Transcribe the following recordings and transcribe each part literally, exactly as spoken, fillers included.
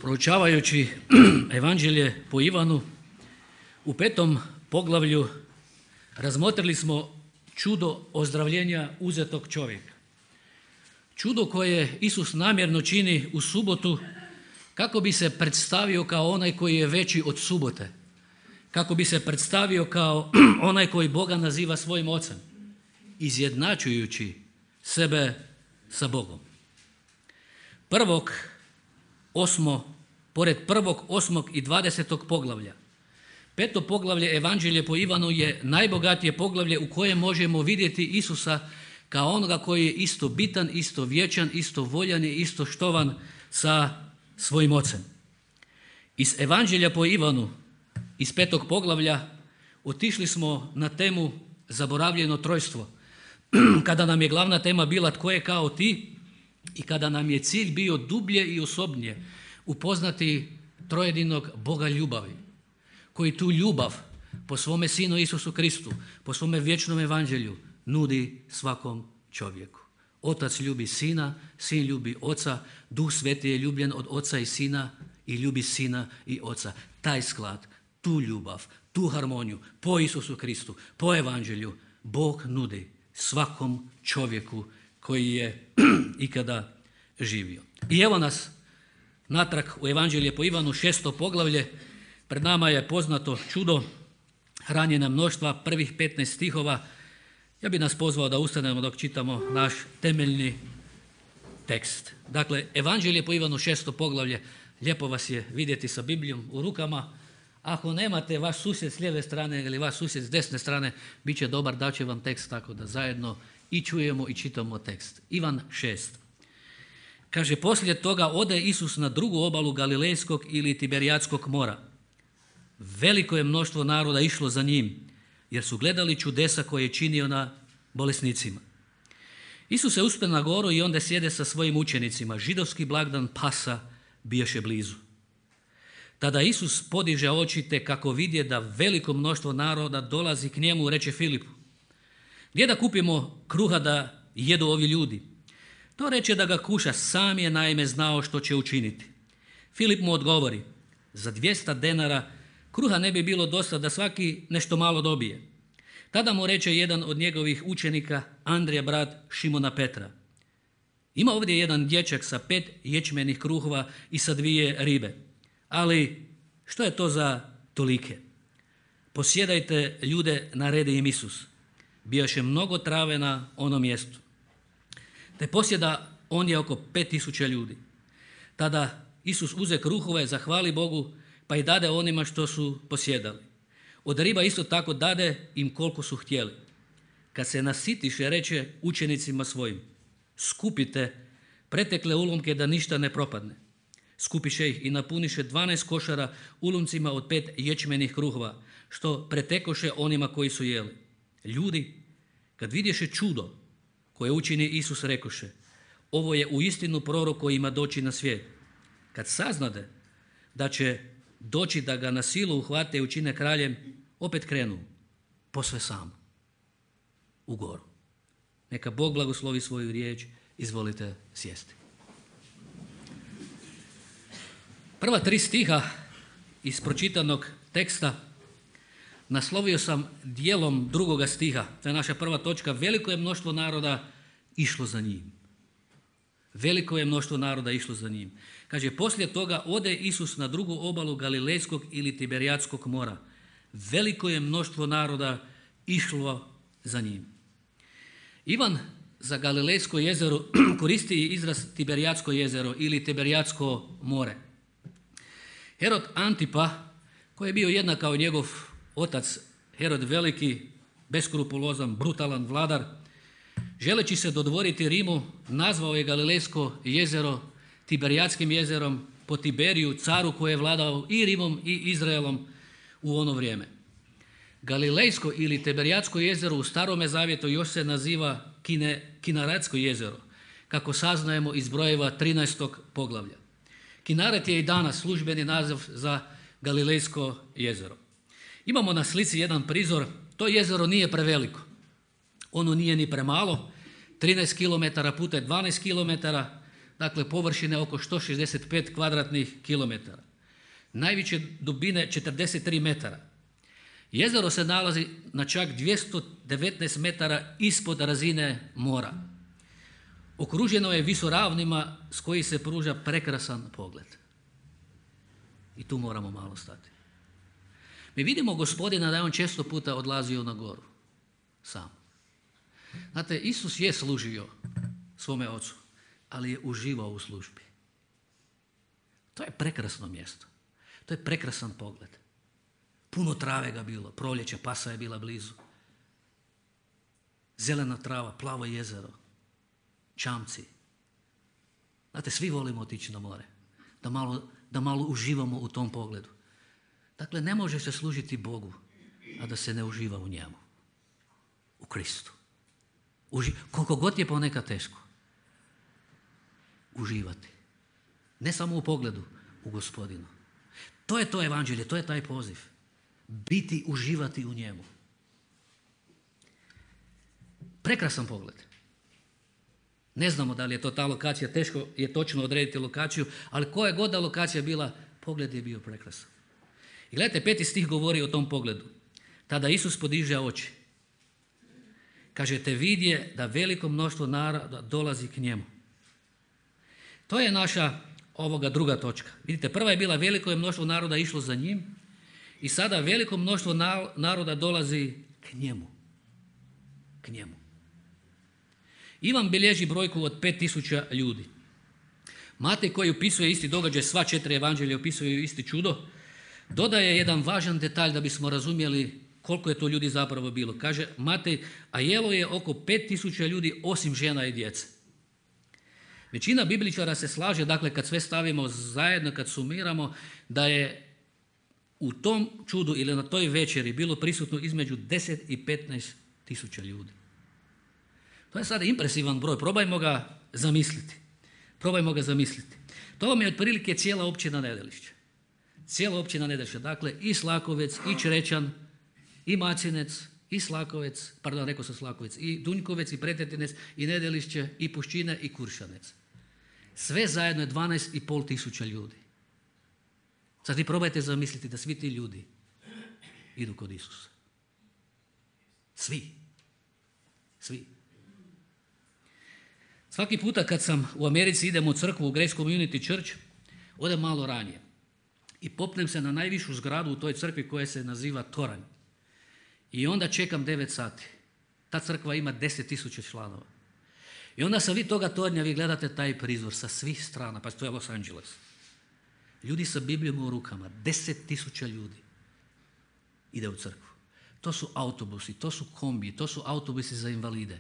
Proučavajući Evanđelje po Ivanu, u petom poglavlju razmotrili smo čudo ozdravljenja uzetog čovjeka. Čudo koje Isus namjerno čini u subotu kako bi se predstavio kao onaj koji je veći od subote, kako bi se predstavio kao onaj koji Boga naziva svojim ocem, izjednačujući sebe sa Bogom. Prvog, osmo, pored prvog, osmog i dvadesetog poglavlja, peto poglavlje Evanđelje po Ivanu je najbogatije poglavlje u kojem možemo vidjeti Isusa kao onoga koji je isto bitan, isto vječan, isto voljan i isto štovan sa svojim ocem. Iz Evanđelja po Ivanu, iz petog poglavlja, otišli smo na temu zaboravljeno trojstvo, kada nam je glavna tema bila tko je kao ti i kada nam je cilj bio dublje i osobnije upoznati trojedinog Boga ljubavi, koji tu ljubav po svome Sinu Isusu Kristu, po svome vječnom evanđelju nudi svakom čovjeku. Otac ljubi Sina, Sin ljubi Oca, Duh Sveti je ljubljen od Oca i Sina i ljubi Sina i Oca. Taj sklad, tu ljubav, tu harmoniju po Isusu Kristu, po evanđelju Bog nudi svakom čovjeku koji je ikada živio. I evo nas natrag u Evanđelje po Ivanu, šesto poglavlje. Pred nama je poznato čudo hranjenja mnoštva, prvih petnaest stihova. Ja bih nas pozvao da ustanemo dok čitamo naš temeljni tekst. Dakle, Evanđelje po Ivanu, šesto poglavlje. Lijepo vas je vidjeti sa Biblijom u rukama. Ako nemate vaš susjed s lijeve strane ili vaš susjed s desne strane, bit će dobar, da će vam tekst tako da zajedno i čujemo i čitamo tekst. Ivan šest. Kaže, poslije toga ode Isus na drugu obalu Galilejskog ili Tiberijatskog mora. Veliko je mnoštvo naroda išlo za njim, jer su gledali čudesa koje je činio na bolesnicima. Isus se uspe na goru i onda sjede sa svojim učenicima. Židovski blagdan Pasa bijaše blizu. Tada Isus podiže oči te kako vidje da veliko mnoštvo naroda dolazi k njemu, reče Filipu: gdje da kupimo kruha da jedu ovi ljudi? To reče da ga kuša, sam je naime znao što će učiniti. Filip mu odgovori: za dvjesto denara kruha ne bi bilo dosta da svaki nešto malo dobije. Tada mu reče jedan od njegovih učenika, Andrija, brat Šimona Petra: ima ovdje jedan dječak sa pet ječmenih kruhova i sa dvije ribe, ali što je to za tolike? Posjedajte ljude, naredi im Isus. Bijaše mnogo trave na onom mjestu. Te posjeda on je oko pet tisuća ljudi. Tada Isus uze kruhove, zahvali Bogu, pa i dade onima što su posjedali. Od riba isto tako dade im koliko su htjeli. Kad se nasitiše, reče učenicima svojim: skupite pretekle ulomke da ništa ne propadne. Skupiše ih i napuniše dvanaest košara ulomcima od pet ječmenih kruhova, što pretekoše onima koji su jeli. Ljudi, kad vidješe čudo koje učini Isus, rekoše: ovo je uistinu prorok koji ima doći na svijet. Kad saznade da će doći da ga na silu uhvate i učine kraljem, opet krenu posve sam u goru. Neka Bog blagoslovi svoju riječ. Izvolite sjesti. Prva tri stiha iz pročitanog teksta naslovio sam dijelom drugoga stiha. To je naša prva točka. Veliko je mnoštvo naroda išlo za njim. Veliko je mnoštvo naroda išlo za njim. Kaže, poslije toga ode Isus na drugu obalu Galilejskog ili Tiberijatskog mora. Veliko je mnoštvo naroda išlo za njim. Ivan za Galilejsko jezero koristi izraz Tiberijatsko jezero ili Tiberijatsko more. Herod Antipa, koji je bio jednak kao njegov otac Herod Veliki, beskrupulozan, brutalan vladar, želeći se dodvoriti Rimu, nazvao je Galilejsko jezero Tiberijatskim jezerom po Tiberiju, caru koji je vladao i Rimom i Izraelom u ono vrijeme. Galilejsko ili Tiberijatsko jezero u Starome zavjetu još se naziva Kine, Kinaretsko jezero, kako saznajemo iz brojeva trinaestog poglavlja. Kinaret je i danas službeni naziv za Galilejsko jezero. Imamo na slici jedan prizor. To jezero nije preveliko. Ono nije ni premalo. trinaest kilometara puta dvanaest kilometara. dakle površine oko sto šezdeset pet kvadratnih kilometara. Najveće dubine četrdeset tri metara. Jezero se nalazi na čak dvjesto devetnaest metara ispod razine mora. Okruženo je visoravnima s koji se pruža prekrasan pogled. I tu moramo malo stati. Mi vidimo Gospodina da je on često puta odlazio na goru. Sam. Znate, Isus je služio svome ocu, ali je uživao u službi. To je prekrasno mjesto. To je prekrasan pogled. Puno trave ga bilo, proljeće, pasa je bila blizu. Zelena trava, plavo jezero, čamci. Znate, svi volimo otići na more, da malo, da malo uživamo u tom pogledu. Dakle, ne može se služiti Bogu, a da se ne uživa u njemu, u Kristu. Uži, koliko god je ponekad teško, uživati. Ne samo u pogledu, u Gospodinu. To je to evanđelje, to je taj poziv. Biti, uživati u njemu. Prekrasan pogled. Ne znamo da li je to ta lokacija, teško je točno odrediti lokaciju, ali koja god da lokacija bila, pogled je bio prekrasan. I gledajte, peti stih govori o tom pogledu. Tada Isus podiže oči. Kažete, vidje da veliko mnoštvo naroda dolazi k njemu. To je naša ovoga druga točka. Vidite, prva je bila veliko je mnoštvo naroda išlo za njim i sada veliko mnoštvo naroda dolazi k njemu. K njemu. Ivan bilježi brojku od pet tisuća ljudi. Matej koji opisuje isti događaj, sva četiri evanđelja opisuju isti čudo, dodaje jedan važan detalj da bismo razumjeli koliko je to ljudi zapravo bilo. Kaže Matej, a jelo je oko pet tisuća ljudi osim žena i djece. Većina bibličara se slaže, dakle kad sve stavimo zajedno, kad sumiramo, da je u tom čudu ili na toj večeri bilo prisutno između deset i petnaest tisuća ljudi. To je sada impresivan broj, probajmo ga zamisliti. Probajmo ga zamisliti. To vam je otprilike cijela općina Nedelišće. Cijela općina Nedelišće, dakle i Slakovec, i Črečan, i Macinec, i Slakovec, pardon, rekao sam Slakovec, i Dunjkovec, i Pretetinec, i Nedelišće, i Puščine, i Kuršanec. Sve zajedno je dvanaest i pol tisuća ljudi. Sad vi probajte zamisliti da svi ti ljudi idu kod Isusa. Svi. Svi. Svaki puta kad sam u Americi idem u crkvu, u Grace Community Church, odem malo ranije. I popnem se na najvišu zgradu u toj crkvi koja se naziva Toranj. I onda čekam devet sati. Ta crkva ima deset tisuća članova. I onda sa vi toga tornja vi gledate taj prizor sa svih strana, pa to je Los Angeles. Ljudi sa Biblijom u rukama, deset tisuća ljudi ide u crkvu. To su autobusi, to su kombiji, to su autobusi za invalide.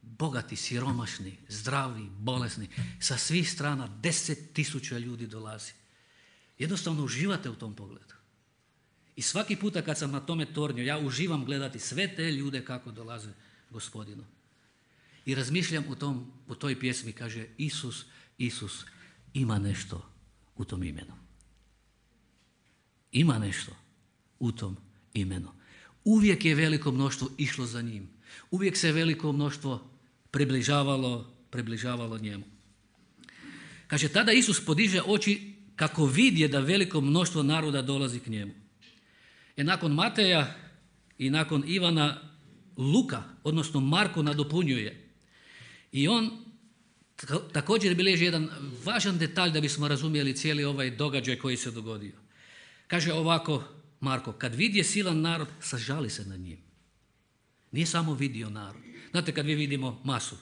Bogati, siromašni, zdravi, bolesni, sa svih strana deset tisuća ljudi dolazi. Jednostavno uživate u tom pogledu. I svaki puta kad sam na tome tornju, ja uživam gledati sve te ljude kako dolaze Gospodinu. I razmišljam u, tom, u toj pjesmi, kaže Isus, Isus, ima nešto u tom imenu. Ima nešto u tom imenu. Uvijek je veliko mnoštvo išlo za njim. Uvijek se veliko mnoštvo približavalo, približavalo njemu. Kaže, tada Isus podiže oči kako vidje da veliko mnoštvo naroda dolazi k njemu. E nakon Mateja i nakon Ivana Luka, odnosno Marko nadopunjuje. I on također bilježi jedan važan detalj da bismo razumjeli cijeli ovaj događaj koji se dogodio. Kaže ovako Marko, kad vidje silan narod, sažali se nad njim. Nije samo vidio narod. Znate kad mi vidimo masu.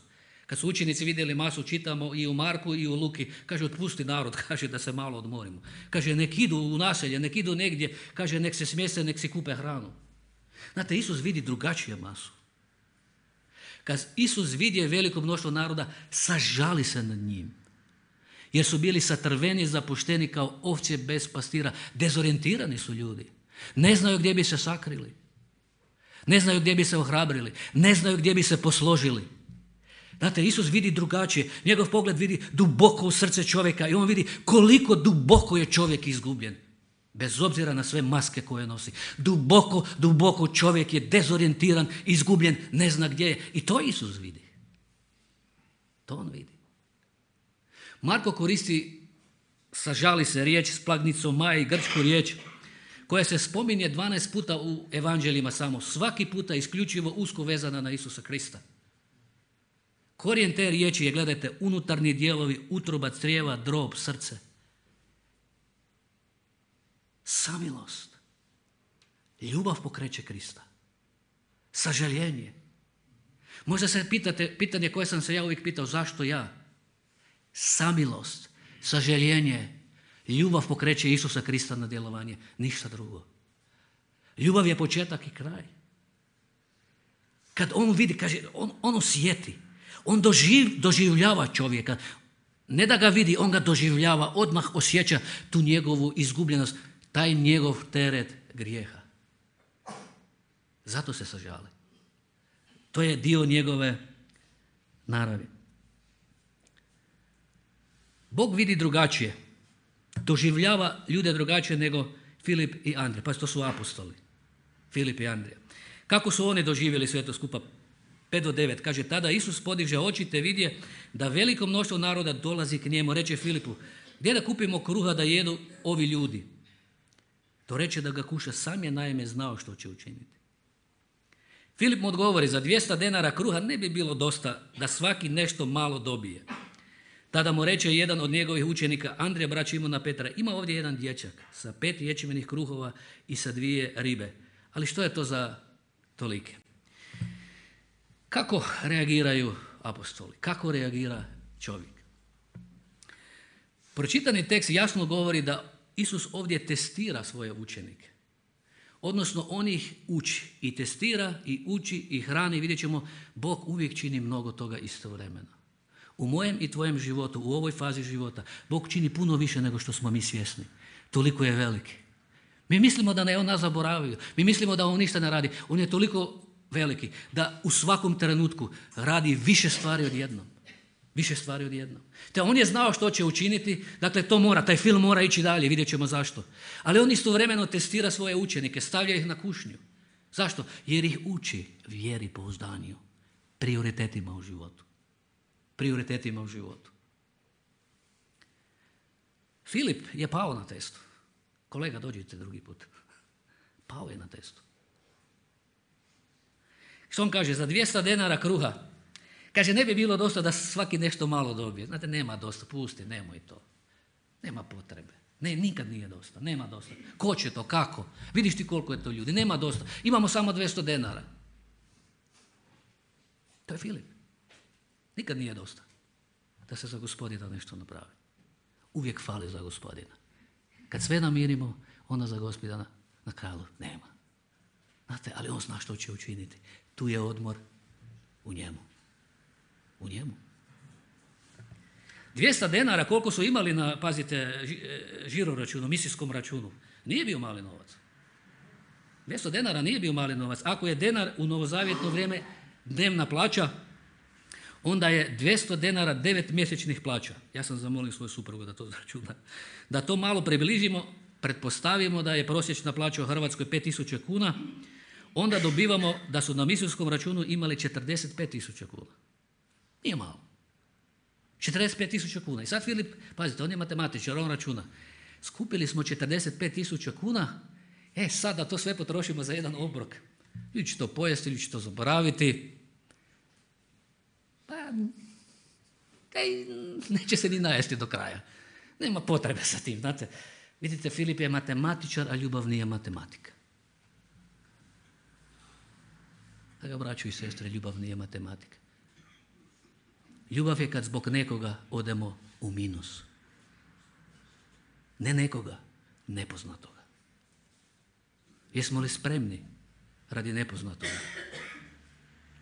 Kad su učenici vidjeli masu, čitamo i u Marku i u Luki, kaže otpusti narod, kaže da se malo odmorimo. Kaže nek idu u naselje, nek idu negdje, kaže nek se smjeste, nek si kupe hranu. Znate, Isus vidi drugačije masu. Kad Isus vidje veliko mnoštvo naroda, sažali se nad njim. Jer su bili satrveni, zapušteni kao ovce bez pastira. Dezorijentirani su ljudi. Ne znaju gdje bi se sakrili. Ne znaju gdje bi se ohrabrili. Ne znaju gdje bi se posložili. Znate, Isus vidi drugačije. Njegov pogled vidi duboko u srce čovjeka i on vidi koliko duboko je čovjek izgubljen. Bez obzira na sve maske koje nosi. Duboko, duboko čovjek je dezorijentiran, izgubljen, ne zna gdje je. I to Isus vidi. To on vidi. Marko koristi, sažali se, riječ splagnicomai, grčku riječ, koja se spominje dvanaest puta u evanđeljima samo. Svaki puta isključivo usko vezana na Isusa Krista. Korijen te riječi je, gledajte, unutarnji dijelovi, utroba, crijeva, drob, srce. Samilost. Ljubav pokreće Krista. Sažaljenje. Možda se pitate, pitanje koje sam se ja uvijek pitao, zašto ja? Samilost, sažaljenje, ljubav pokreće Isusa Krista na djelovanje, ništa drugo. Ljubav je početak i kraj. Kad on vidi, kaže, on, on osjeti, on doživ, doživljava čovjeka. Ne da ga vidi, on ga doživljava, odmah osjeća tu njegovu izgubljenost, taj njegov teret grijeha. Zato se sažali. To je dio njegove naravi. Bog vidi drugačije. Doživljava ljude drugačije nego Filip i Andrija. Pa to su apostoli. Filip i Andrija. Kako su oni doživjeli sve to skupa? pet do devet. Kaže, tada Isus podiže oči te vidje da veliko mnoštvo naroda dolazi k njemu. Reče Filipu, gdje da kupimo kruha da jedu ovi ljudi? To reče da ga kuša, sam je naime znao što će učiniti. Filip mu odgovori, za dvjesto denara kruha ne bi bilo dosta da svaki nešto malo dobije. Tada mu reče jedan od njegovih učenika, Andrija, brat Šimona Petra, ima ovdje jedan dječak sa pet ječmenih kruhova i sa dvije ribe. Ali što je to za tolike? Kako reagiraju apostoli? Kako reagira čovjek? Pročitani tekst jasno govori da Isus ovdje testira svoje učenike. Odnosno, on ih uči i testira i uči i hrani. Vidjet ćemo, Bog uvijek čini mnogo toga istovremeno. U mojem i tvojem životu, u ovoj fazi života, Bog čini puno više nego što smo mi svjesni. Toliko je veliki. Mi mislimo da ne on nas zaboravio. Mi mislimo da on ništa ne radi. On je toliko veliki da u svakom trenutku radi više stvari odjednom. Više stvari odjednom. Te on je znao što će učiniti, dakle to mora, taj film mora ići dalje, vidjet ćemo zašto. Ali on istovremeno testira svoje učenike, stavlja ih na kušnju. Zašto? Jer ih uči vjeri, pouzdanju, prioritetima u životu. Prioritetima u životu. Filip je pao na testu. Kolega, dođite drugi put. Pao je na testu. Što on kaže? Za dvjesto denara kruha. Kaže, ne bi bilo dosta da svaki nešto malo dobije. Znate, nema dosta, pusti, nemoj to. Nema potrebe. Ne, nikad nije dosta, nema dosta. Ko će to, kako? Vidiš ti koliko je to ljudi, nema dosta. Imamo samo dvjesto denara. To je Filip. Nikad nije dosta da se za Gospodina nešto napravi. Uvijek fali za Gospodina. Kad sve namirimo, onda za Gospodina na kraju nema. Znate, ali on zna što će učiniti. Tu je odmor u njemu. U njemu. dvjesto denara koliko su imali na, pazite, žiro računu, misijskom računu. Nije bio mali novac. dvjesto denara nije bio mali novac. Ako je denar u novozavjetno vrijeme dnevna plaća, onda je dvjesto denara devet mjesečnih plaća. Ja sam zamolio svoju suprugu da to zračuna. Da to malo približimo, pretpostavimo da je prosječna plaća u Hrvatskoj pet tisuća kuna, onda dobivamo da su na misijskom računu imali četrdeset pet tisuća kuna. Nije malo. četrdeset pet tisuća kuna. I sad Filip, pazite, on je matematičar, on računa. Skupili smo četrdeset pet tisuća kuna, e sad da to sve potrošimo za jedan obrok. Ili će to pojesti, ili će to zaboraviti. Pa, kaj, neće se ni najesti do kraja. Nema potrebe sa tim, znate. Vidite, Filip je matematičar, a ljubav nije matematika. Draga braćo i sestre, ljubav nije matematika. Ljubav je kad zbog nekoga odemo u minus. Ne nekoga, nepoznatoga. Jesmo li spremni radi nepoznatoga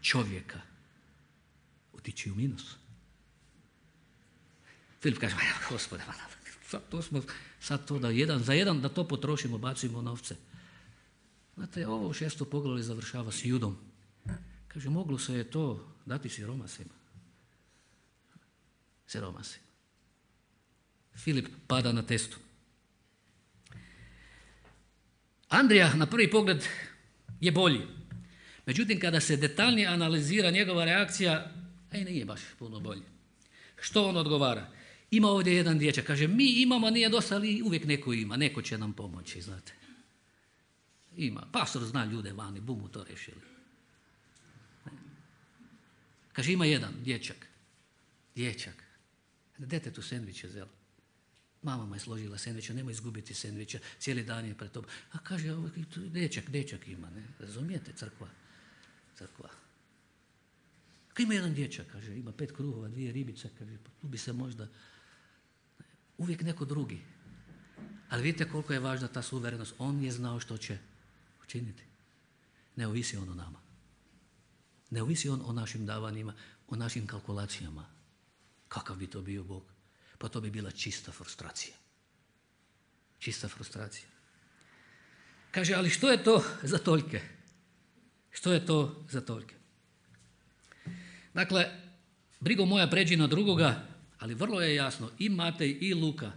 čovjeka otići u minus? Filip kaže, Gospode, sad to smo, sad to da jedan, za jedan da to potrošimo, bacimo novce. Znate, ovo u šesto poglavlje završava s Judom. Kaže, moglo se je to dati siromasima. Siromasima. Filip pada na testu. Andrija na prvi pogled je bolji. Međutim, kada se detaljnije analizira njegova reakcija, aj nije baš puno bolje. Što on odgovara? Ima ovdje jedan dječak, kaže, mi imamo, nije dosta, ali uvijek neko ima, neko će nam pomoći, znate. Ima, pastor zna ljude vani, bumu to rešili. Kaže, ima jedan dječak, dječak, dete tu sendviče zelo. Mama mu je složila sendviče, nemoj izgubiti sendviča, cijeli dan je pred tobom. A kaže, dječak, dječak ima, ne, razumijete, crkva, crkva. Kaže, ima jedan dječak, kaže, ima pet kruhova, dvije ribice, kaže, tu bi se možda, uvijek neko drugi. Ali vidite koliko je važna ta suverenost, on je znao što će učiniti. Ne ovisi on o nama. Ne ovisi on o našim davanjima, o našim kalkulacijama. Kakav bi to bio Bog? Pa to bi bila čista frustracija. Čista frustracija. Kaže, ali što je to za toljke? Što je to za toljke? Dakle, brigo moja pređi na drugoga, ali vrlo je jasno, i Matej i Luka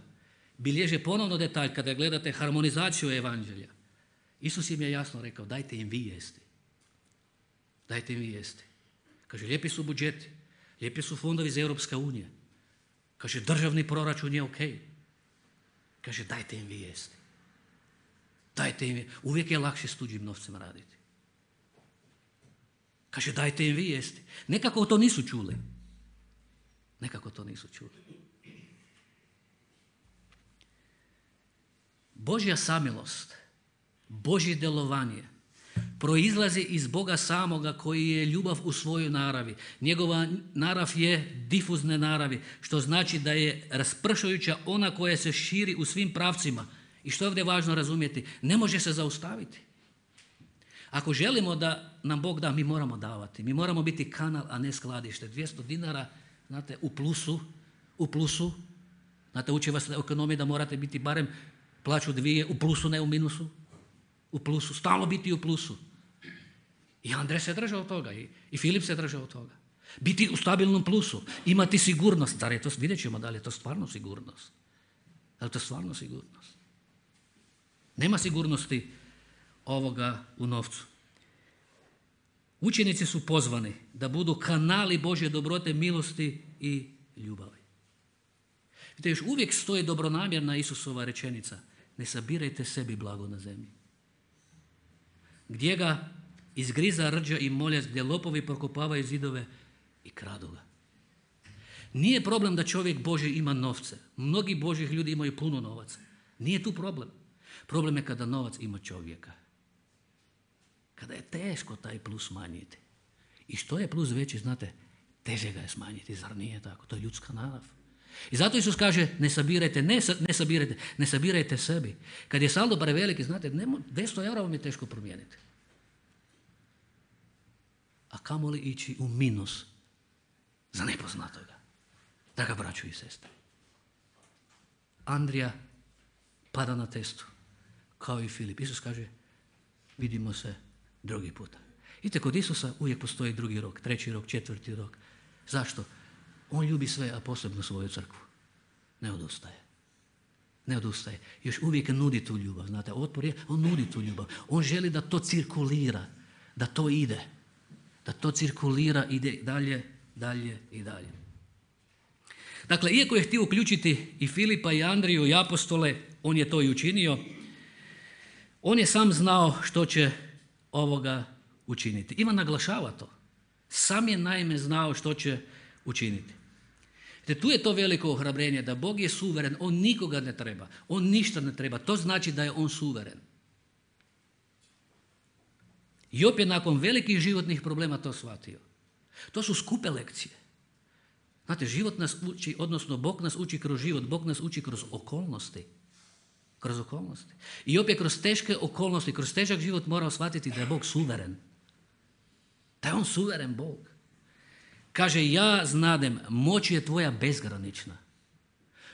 bilježe ponovno detalj kada gledate harmonizaciju evanđelja. Isus im je jasno rekao, dajte im vi jesti. Dajte im vi jesti. Kaže, lijepi su budžeti, lijepi su fondovi iz Europske unije. Kaže, državni proračun je ok. Kaže, dajte im vi jesti. Dajte im, uvijek je lakše s tuđim novcem raditi. Kaže, dajte im vi jesti. Nekako to nisu čuli. Nekako to nisu čuli. Božja samilost, Božje djelovanje proizlazi iz Boga samoga koji je ljubav u svojoj naravi. Njegova narav je difuzne naravi, što znači da je raspršujuća, ona koja se širi u svim pravcima. I što je ovdje važno razumjeti, ne može se zaustaviti. Ako želimo da nam Bog da, mi moramo davati. Mi moramo biti kanal, a ne skladište. dvjesto dinara, znate, u plusu, u plusu. Znate, uči vas na ekonomiji da morate biti barem plaću dvije, u plusu, ne u minusu. U plusu, stalno biti u plusu. I Andrej se držao toga, i, i Filip se držao toga. Biti u stabilnom plusu, imati sigurnost. Da li je to, vidjet ćemo da li je to stvarno sigurnost. Da li je to stvarno sigurnost? Nema sigurnosti ovoga u novcu. Učenici su pozvani da budu kanali Božje dobrote, milosti i ljubavi. Vidite, još uvijek stoji dobronamjerna Isusova rečenica, ne sabirajte sebi blago na zemlji. Gdje ga izgriza rđa i moljac, gdje lopovi prokopavaju zidove i kradu ga. Nije problem da čovjek Božji ima novce. Mnogi Božjih ljudi imaju puno novaca. Nije tu problem. Problem je kada novac ima čovjeka. Kada je teško taj plus smanjiti. I što je plus veći, znate, teže ga je smanjiti. Zar nije tako? To je ljudska narav. I zato Isus kaže, ne sabirajte, ne, ne sabirajte, ne sabirajte sebi. Kad je saldo preveliki, znate, dvjesto eura vam je teško promijeniti. A kamoli ići u minus za nepoznatoga. Draga braćo i sestre. Andrija pada na testu, kao i Filip. Isus kaže, vidimo se drugi puta. Vidite, kod Isusa uvijek postoji drugi rok, treći rok, četvrti rok. Zašto? On ljubi sve, a posebno svoju crkvu. Ne odustaje. Ne odustaje. Još uvijek nudi tu ljubav. Znate, otpor je, on nudi tu ljubav. On želi da to cirkulira, da to ide. Da to cirkulira, ide dalje, dalje i dalje. Dakle, iako je htio uključiti i Filipa i Andriju i apostole, on je to i učinio. On je sam znao što će ovoga učiniti. Ivan naglašava to. Sam je naime znao što će učiniti. Te tu je to veliko ohrabrenje da Bog je suveren, on nikoga ne treba, on ništa ne treba. To znači da je on suveren. Job je nakon velikih životnih problema to shvatio. To su skupe lekcije. Znate, život nas uči, odnosno Bog nas uči kroz život, Bog nas uči kroz okolnosti. Kroz okolnosti. I Job je kroz teške okolnosti, kroz težak život morao shvatiti da je Bog suveren. Da je on suveren Bog. Kaže, ja znadem, moć je tvoja bezgranična.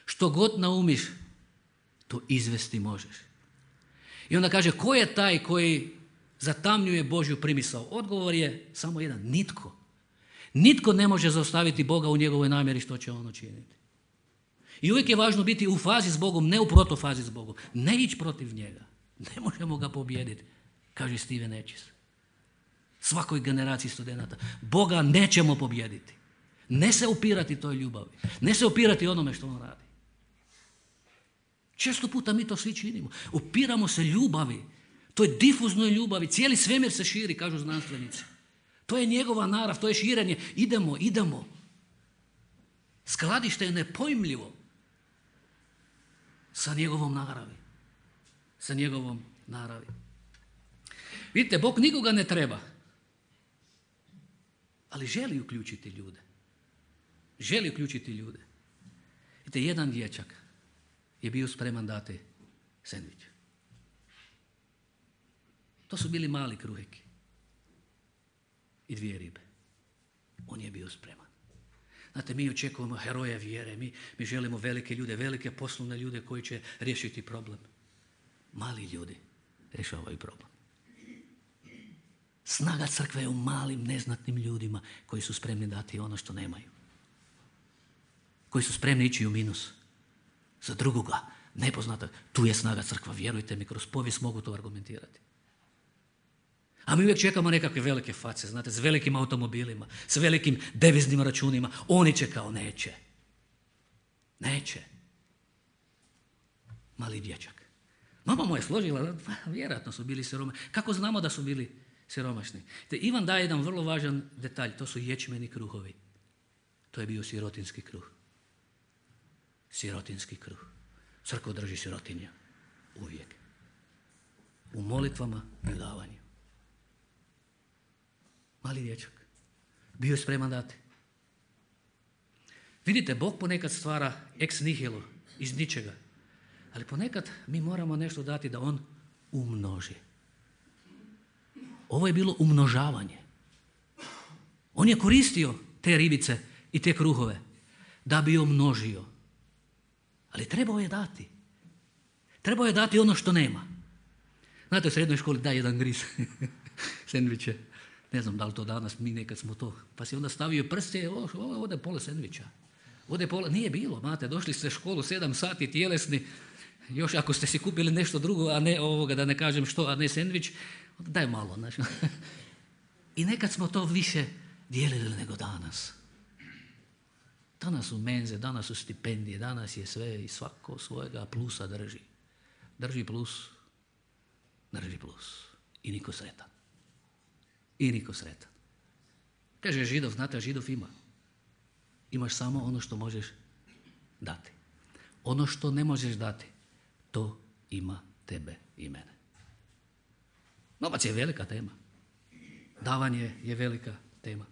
Što god naumiš, to izvesti možeš. I onda kaže, ko je taj koji zatamnjuje Božju primisao? Odgovor je samo jedan, nitko. Nitko ne može zaustaviti Boga u njegovoj namjeri što će on učiniti. I uvijek je važno biti u fazi s Bogom, ne u protofazi s Bogom. Ne ići protiv njega. Ne možemo ga pobijediti, kaže Steven Echis. Svakoj generaciji studenata. Boga nećemo pobijediti. Ne se upirati toj ljubavi. Ne se upirati onome što on radi. Često puta mi to svi činimo. Upiramo se ljubavi. To je difuznoj ljubavi. Cijeli svemir se širi, kažu znanstvenici. To je njegova narav, to je širenje. Idemo, idemo. Skladište je nepojmljivo sa njegovom naravi. Sa njegovom naravi. Vidite, Bog nikoga ne treba. Ali želi uključiti ljude. Želi uključiti ljude. Vidite, jedan dječak je bio spreman dati sendvič. To su bili mali kruheki i dvije ribe. On je bio spreman. Znate, mi očekujemo heroje vjere, mi, mi želimo velike ljude, velike poslovne ljude koji će riješiti problem. Mali ljudi rješavaju problem. Snaga crkve je u malim, neznatnim ljudima koji su spremni dati ono što nemaju. Koji su spremni ići u minus. Za drugoga, nepoznata, tu je snaga crkva, vjerujte mi, kroz povijest mogu to argumentirati. A mi uvijek čekamo nekakve velike face, znate, s velikim automobilima, s velikim deviznim računima. Oni će kao neće. Neće. Mali dječak. Mama mu je složila, vjerojatno su bili siromašni. Kako znamo da su bili siromašni? Te Ivan daje jedan vrlo važan detalj, to su ječmeni kruhovi. To je bio sirotinski kruh. Sirotinski kruh. Crkva drži sirotinja. Uvijek. U molitvama i davanju. Mali dječak. Bio je spreman dati. Vidite, Bog ponekad stvara ex nihilo, iz ničega. Ali ponekad mi moramo nešto dati da on umnoži. Ovo je bilo umnožavanje. On je koristio te ribice i te kruhove da bi umnožio. Ali trebao je dati. Trebao je dati ono što nema. Znate, u srednjoj školi daj jedan gris sendviče. Ne znam da li to danas, mi nekad smo to. Pa si onda stavio prste, ovdje je pola sendviča. Ovdje je pola, nije bilo, znate, došli ste u školu sedam sati tjelesni, još ako ste si kupili nešto drugo, a ne ovoga, da ne kažem što, a ne sendvič, daj malo. Znači. I nekad smo to više dijelili nego danas. Danas su menze, danas su stipendije, danas je sve i svako svojega plusa drži. Drži plus, drži plus. I niko sretan. I niko sretan. Kaže Židov, znate, Židov ima. Imaš samo ono što možeš dati. Ono što ne možeš dati, to ima tebe i mene. Novac je velika tema. Davanje je velika tema.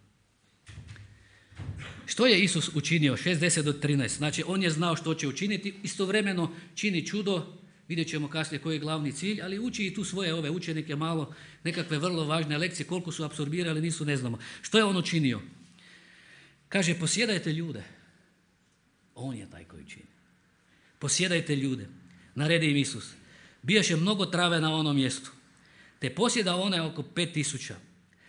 Što je Isus učinio? šezdeset do trinaest. Znači, on je znao što će učiniti. Istovremeno čini čudo. Vidjet ćemo kasnije koji je glavni cilj, ali uči i tu svoje ove učenike malo, nekakve vrlo važne lekcije, koliko su apsorbirali, nisu, ne znamo. Što je on učinio? Kaže, posjedajte ljude. On je taj koji čini. Posjedajte ljude. Naredi im Isus. Bijaše mnogo trave na onom mjestu. Te posjeda one oko pet tisuća.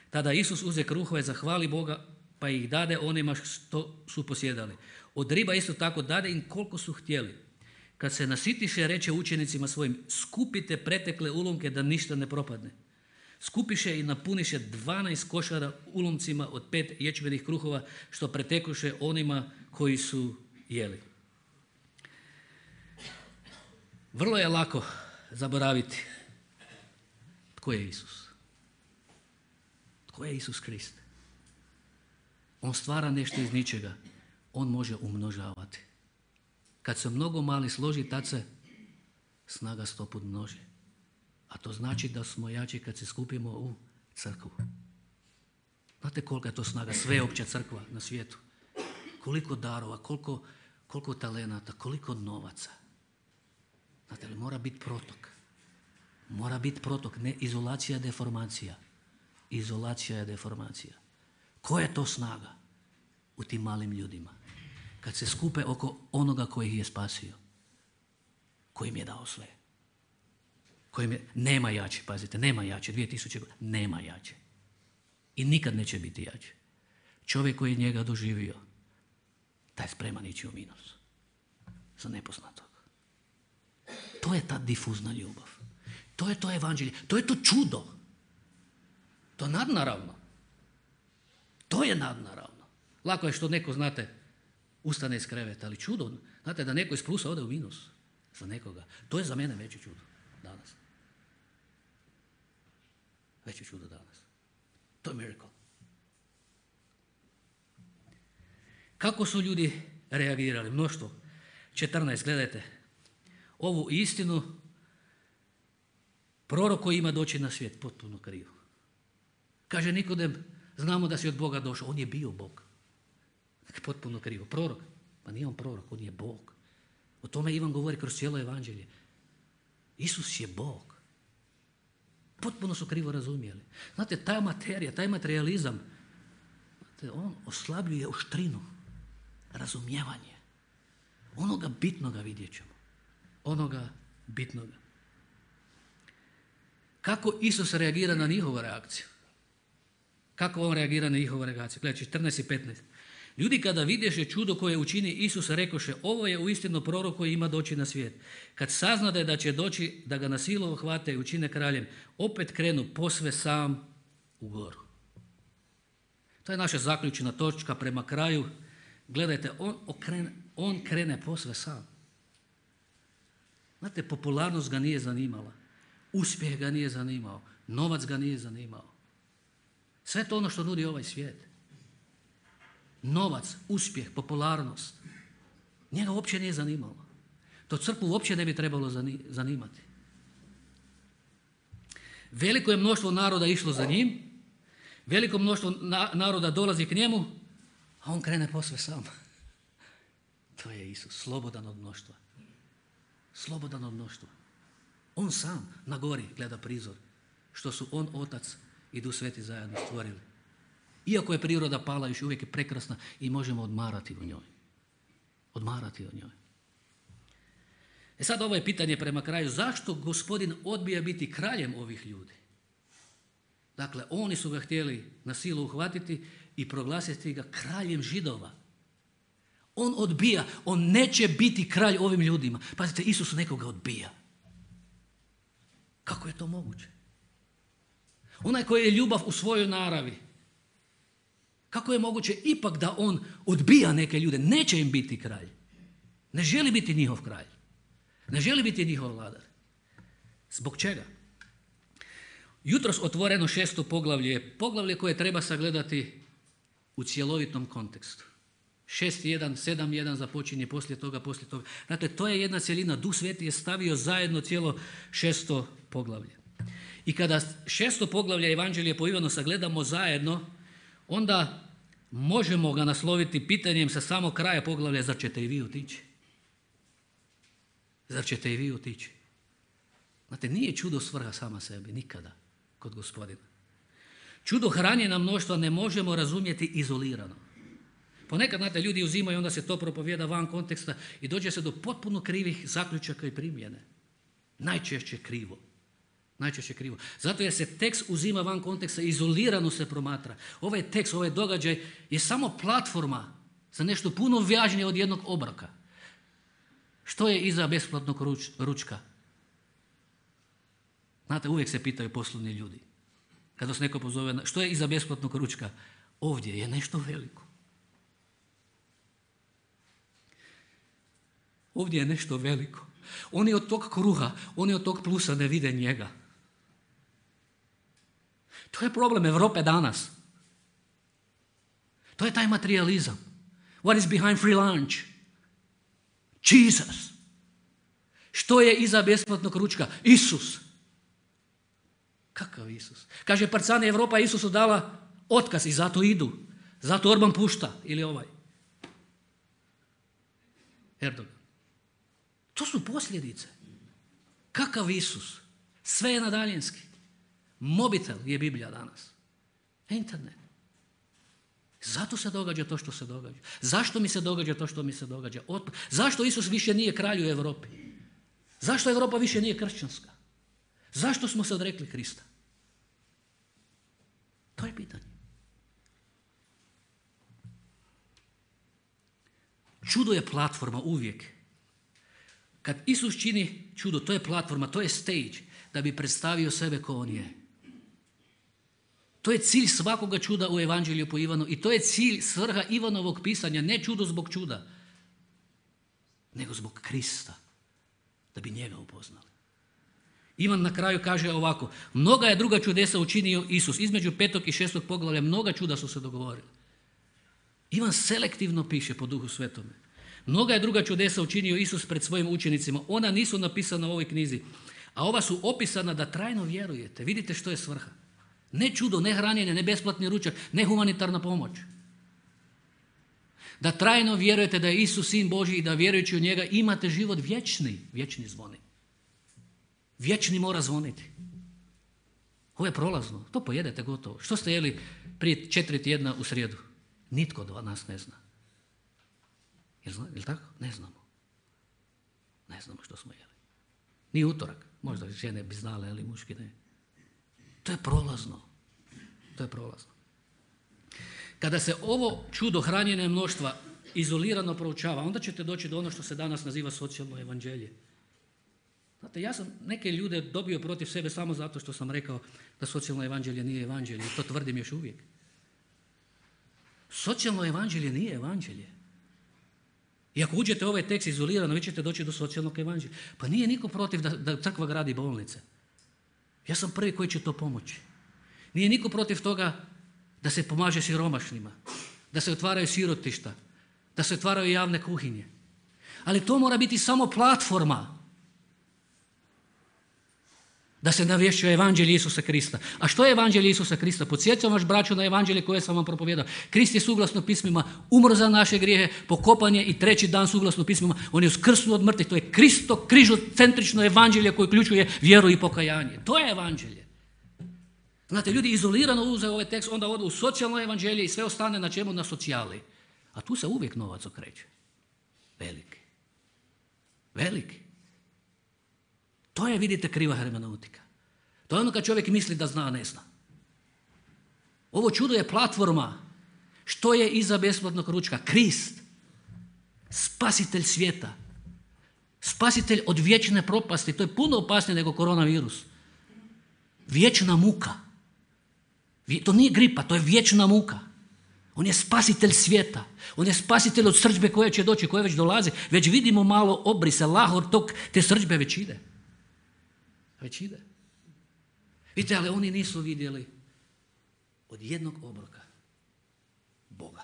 Tada Isus uze kruhove, zahvali Boga, pa ih dade onima što su posjedali. Od riba isto tako dade im koliko su htjeli. Kad se nasitiše, reče učenicima svojim, skupite pretekle ulomke da ništa ne propadne. Skupiše i napuniše dvanaest košara ulomcima od pet ječmenih kruhova, što pretekuše onima koji su jeli. Vrlo je lako zaboraviti tko je Isus. Tko je Isus Krist? On stvara nešto iz ničega. On može umnožavati. Kad se mnogo mali složi, tad se snaga sto put množi. A to znači da smo jači kad se skupimo u crkvu. Znate kolika je to snaga, sveopća crkva na svijetu. Koliko darova, koliko, koliko talenata, koliko novaca. Znate li, mora biti protok. Mora biti protok, ne izolacija, deformacija. Izolacija je deformacija. Koja je to snaga u tim malim ljudima? Kad se skupe oko onoga koji ih je spasio. Koji im je dao sve. Kojim je, nema jače, pazite, nema jače, dvije tisuće godina, nema jače. I nikad neće biti jače. Čovjek koji je njega doživio, taj je spreman ići u minus. Za nepoznatog. To je ta difuzna ljubav. To je to evanđelje. To je to čudo. To je nadnaravno. To je nadnaravno. Lako je što neko, znate, ustane iz kreveta, ali čudo, znate, da neko iz plusa ode u minus za nekoga. To je za mene veće čudo danas. Veće čudo danas. To je miracle. Kako su ljudi reagirali? Mnoštvo. četrnaest, gledajte. Ovu istinu prorok koji ima doći na svijet, potpuno krivo. Kaže Nikodem, znamo da si od Boga došao. On je bio Bog. Potpuno krivo. Prorok. Pa nije on prorok, on je Bog. O tome Ivan govori kroz cijelo evanđelje. Isus je Bog. Potpuno su krivo razumjeli. Znate, ta materija, taj materializam, znate, on oslabljuje oštrinu, razumijevanje. Onoga bitnoga vidjet ćemo. Onoga bitnoga. Kako Isus reagira na njihovu reakciju? Kako on reagira na njihovu reakciju? Gledajte, četrnaest i petnaest. Ljudi kada vidješe čudo koje učini Isus, rekoše, ovo je uistinu prorok koji ima doći na svijet. Kad saznade da će doći, da ga na silu uhvate i učine kraljem, opet krenu posve sam u goru. To je naša zaključna točka prema kraju. Gledajte, on, okrene, on krene posve sam. Znate, popularnost ga nije zanimala. Uspjeh ga nije zanimao. Novac ga nije zanimao. Sve to ono što nudi ovaj svijet. Novac, uspjeh, popularnost. Njega uopće nije zanimalo. To crkvu uopće ne bi trebalo zanimati. Veliko je mnoštvo naroda išlo za njim, veliko mnoštvo naroda dolazi k njemu, a on krene posve sam. To je Isus, slobodan od mnoštva. Slobodan od mnoštva. On sam na gori gleda prizor, što su on, Otac i Duh Sveti zajedno stvorili. Iako je priroda pala, još uvijek je prekrasna i možemo odmarati u njoj. Odmarati u njoj. E sad ovo je pitanje prema kraju. Zašto Gospodin odbija biti kraljem ovih ljudi? Dakle, oni su ga htjeli na silu uhvatiti i proglasiti ga kraljem Židova. On odbija. On neće biti kralj ovim ljudima. Pazite, Isus nekoga odbija. Kako je to moguće? Onaj koji je ljubav u svojoj naravi. Kako je moguće ipak da on odbija neke ljude? Neće im biti kralj. Ne želi biti njihov kralj. Ne želi biti njihov vladar. Zbog čega? Jutros otvoreno šesto poglavlje je poglavlje koje treba sagledati u cjelovitom kontekstu. šest jedan, sedam jedan započinje poslije toga, poslije toga. Dakle, to je jedna cjelina. Duh Sveti je stavio zajedno cijelo šesto poglavlje. I kada šesto poglavlje Evanđelje po Ivanu sagledamo zajedno, onda možemo ga nasloviti pitanjem sa samog kraja poglavlja, zar ćete i vi otići? Zar ćete i vi otići? Znate, nije čudo svrha sama sebi, nikada, kod Gospodina. Čudo hranjenja mnoštva ne možemo razumjeti izolirano. Ponekad, znate, ljudi uzimaju, onda se to propovijeda van konteksta i dođe se do potpuno krivih zaključaka i primjene. Najčešće krivo. Najčešće krivo. Zato jer se tekst uzima van konteksta, izolirano se promatra. Ovaj tekst, ovaj događaj je samo platforma za nešto puno važnije od jednog obroka. Što je iza besplatnog ruč, ručka? Znate, uvijek se pitaju poslovni ljudi. Kada se neko pozove, što je iza besplatnog ručka? Ovdje je nešto veliko. Ovdje je nešto veliko. Oni od tog kruha, oni od tog plusa ne vide njega. To je problem Europe danas. To je taj materializam. What is behind free lunch? Jesus. Što je iza besplatnog ručka? Isus. Kakav Isus? Kaže, parcane Evropa Isusu dala otkaz i zato idu. Zato Orban pušta. Ili ovaj. Erdogan. To su posljedice. Kakav Isus? Sve je na daljinski. Mobitel je Biblija danas. Internet. Zato se događa to što se događa. Zašto mi se događa to što mi se događa? Otpad. Zašto Isus više nije kralj u Europi? Zašto Europa više nije kršćanska? Zašto smo se odrekli Krista? To je pitanje. Čudo je platforma uvijek. Kad Isus čini čudo, to je platforma, to je stage da bi predstavio sebe ko on je. To je cilj svakoga čuda u Evanđelju po Ivanu i to je cilj, svrha Ivanovog pisanja, ne čudo zbog čuda, nego zbog Krista, da bi njega upoznali. Ivan na kraju kaže ovako, mnoga je druga čudesa učinio Isus, između petog i šestog poglavlja, mnoga čuda su se dogovorili. Ivan selektivno piše po Duhu Svetome. Mnoga je druga čudesa učinio Isus pred svojim učenicima, ona nisu napisana u ovoj knjizi, a ova su opisana da trajno vjerujete. Vidite što je svrha. Ne čudo, ne hranjenje, ne besplatni ručak, ne humanitarna pomoć. Da trajno vjerujete da je Isus Sin Božji i da vjerujući u njega imate život vječni. Vječni zvoni. Vječni mora zvoniti. Ovo je prolazno. To pojedete gotovo. Što ste jeli prije četiri tjedna u srijedu? Nitko od nas ne zna. Jel, zna, jel tako? Ne znamo. Ne znamo što smo jeli. Ni utorak. Možda žene bi znale, ali muški ne. To je prolazno. To je prolazno. Kada se ovo čudo hranjenja mnoštva izolirano proučava, onda ćete doći do ono što se danas naziva socijalno evanđelje. Znate, ja sam neke ljude dobio protiv sebe samo zato što sam rekao da socijalno evanđelje nije evanđelje. I to tvrdim još uvijek. Socijalno evanđelje nije evanđelje. I ako uđete u ovaj tekst izolirano, vi ćete doći do socijalnog evanđelja. Pa nije niko protiv da, da crkva gradi bolnice. Ja sam prvi koji će to pomoći. Nije niko protiv toga da se pomaže siromašnima, da se otvaraju sirotišta, da se otvaraju javne kuhinje. Ali to mora biti samo platforma da se navješćuje evanđelje Isusa Krista. A što je evanđelje Isusa Krista? Podsjećam vaš braćo na evanđelje koje sam vam propovijedao. Krist je suglasno pismima umro za naše grijehe, pokopan je i treći dan suglasno pismima on je uskrsnuo od mrtvih. To je Kristo križocentrično evanđelje koje uključuje vjeru i pokajanje. To je evanđelje. Znate, ljudi izolirano uzeo ovaj tekst, onda odu u socijalno evanđelje i sve ostane na čemu? Na socijali. A tu se uvijek novac okreće. Veliki. Veliki. To je, vidite, kriva hermeneutika. To je ono kad čovjek misli da zna, ne zna. Ovo čudo je platforma. Što je iza besplatnog ručka? Krist. Spasitelj svijeta. Spasitelj od vječne propasti. To je puno opasnije nego koronavirus. Vječna muka. To nije gripa, to je vječna muka. On je spasitelj svijeta. On je spasitelj od srdžbe koja će doći, koja već dolazi. Već vidimo malo obrise, lahor tog, te srdžbe već ide. Već ide. Vidite, ali oni nisu vidjeli od jednog obroka Boga.